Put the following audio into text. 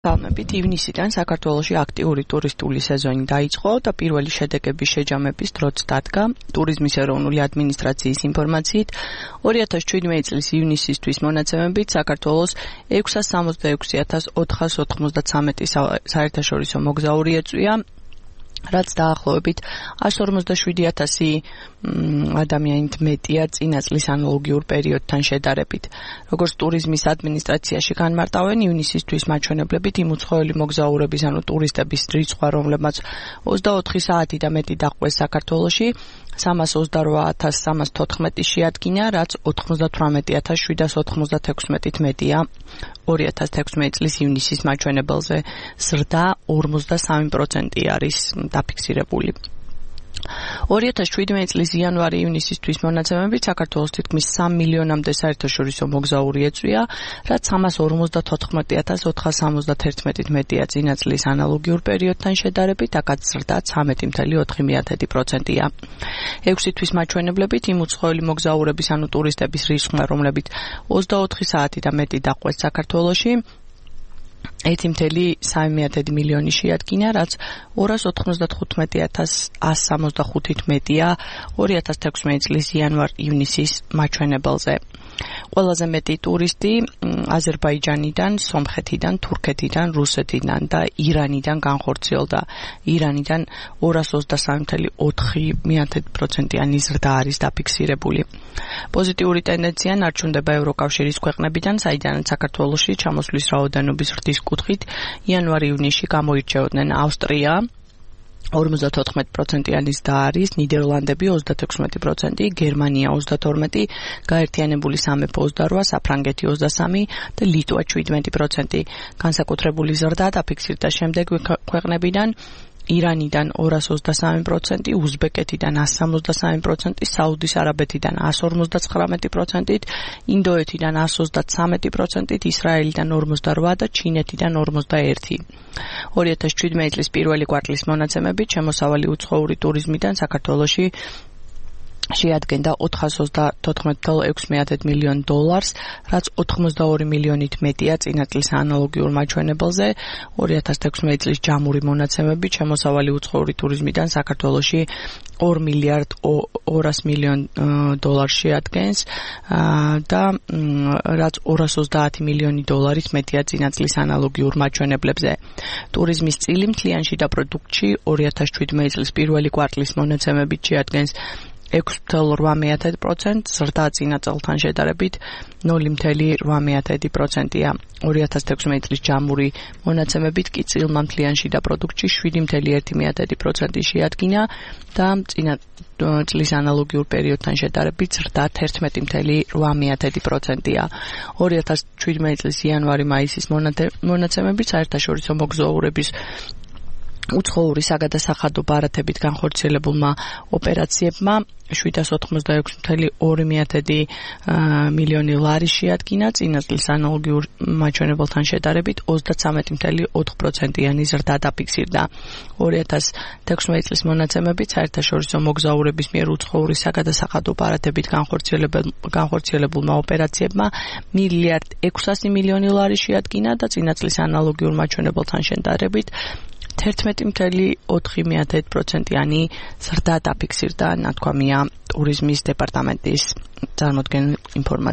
Გალმებით ივნისიდან საქართველოში აქტიური ტურისტული სეზონი დაიწყო და პირველი შედეგების შეჯამების დროც დადგა. ტურიზმის ეროვნული ადმინისტრაციის ინფორმაციით 2017 წლის ივნისისთვის მონაცემებით საქართველოს 666,493 საერთაშორისო მოგზაური ეწვია, რაც დაახლოებით 157,000 ადამიანით მეტია წინა წლის ანალოგიურ პერიოდთან შედარებით. Როგორც ტურიზმის ადმინისტრაციაში განმარტავენ, ივნისისთვის მაჩვენებლებით იმ უცხოელი მოგზაურების, ანუ ტურისტების რიცხვ, რომლებმაც 24 საათი და მეტი დაჰყვეს საქართველოში, 328,314 შეადგინა, რაც 98,796-ით მეტია 2016 წლის ივნისის მაჩვენებელზე. ზრდა 43% არის დაფიქსირებული. 2017 წლის იანვარი-ივნისისთვის მონაცემებით საქართველოს თითქმის 3 მილიონამდე საერთაშორისო მოგზაური ეწვია, რაც 354,471-ით მეტია წინა წლის ანალოგიურ პერიოდთან შედარებით, აქაც ზრდა 13,4%-ია. 6 თვის მაჩვენებლებით იმ უცხოელი მოგზაურების, ანუ ტურისტების რიცხვმა, რომლებიც 24 საათი და მეტი დაჰყვეს საქართველოში, 1,3 მილიონი შეადგინა, რაც 295,165-ით მეტია 2016 წლის იანვარ-ივნისის მაჩვენებელზე. ყველაზე მეტი ტურისტი აზერბაიჯანიდან, სომხეთიდან, თურქეთიდან, რუსეთიდან და ირანიდან განხორციელდა. ირანიდან 223,4%-იანი ზრდა არის დაფიქსირებული. პოზიტიური ტენდენცია ნარჩუნდება ევროკავშირის ქვეყნებიდან, საიდანაც საქართველოში ჩამოსვლის რაოდენობის ზრდის კუთხით იანვარ-ივნისში გამოირჩეოდნენ ავსტრია 54%-იანი ზრდა არის, ნიდერლანდები 36%, გერმანია 32%, გაერთიანებული სამეფო 28%, საფრანგეთი 23% და ლიტვა 17%. განსაკუთრებული ზრდა დაფიქსირდა შემდეგ ქვეყნებიდან: ირანიდან 223%, უზბეკეთიდან 163%, საუდის არაბეთიდან 159%, ინდოეთიდან 133%, ისრაელიდან 48% და ჩინეთიდან 41%. 2017 წლის პირველი კვარტლის მონაცემებით შემოსავალი უცხოური ტურიზმიდან საქართველოში შეადგენდა $414,6 მილიონ, რაც 82 მილიონით მეტია წინა წლის ანალოგიურ მაჩვენებელზე. 2016 წლის ჯამური მონაცემებით შემოსავალი უცხოური ტურიზმიდან საქართველოში $2,200 მილიონ შეადგენს და რაც 230 მილიონი დოლარით მეტია წინა წლის ანალოგიურ მაჩვენებლებზე. ტურიზმის წილი მთლიან შიდა პროდუქტში 2017 წლის პირველი კვარტლის მონაცემებით შეადგენს 6,8%, ზრდა წინა წელთან შედარებით 0,8%-ია. 2016 წლის ჯამური მონაცემებით კი წილმა მთლიან შიდა პროდუქტში 7,1% შეადგინა და წინა წლის ანალოგიურ პერიოდთან შედარებით ზრდა 11,8%-ია. 2017 წლის იანვარი-მაისის მონაცემებით საერთაშორისო მოგზაურების უცხოური საგადასახადო ბარათებით განხორციელებულმა ოპერაციებმა 786,2 მილიონი ლარი შეადგინა, წინა წლის ანალოგიურ მაჩვენებელთან შედარებით 33,4%-იანი ზრდა დაფიქსირდა. 2016 წლის მონაცემებით საერთაშორისო მოგზაურების მიერ უცხოური საგადასახადო ბარათებით განხორციელებულმა ოპერაციებმა 1,600 მილიონი ლარი შეადგინა და წინა წლის ანალოგიურ მაჩვენებელთან შედარებით 11,4%-იანი ზრდა დაფიქსირდა, ნათქვამია ტურიზმის დეპარტამენტის წარმოდგენილ ინფორმაციით.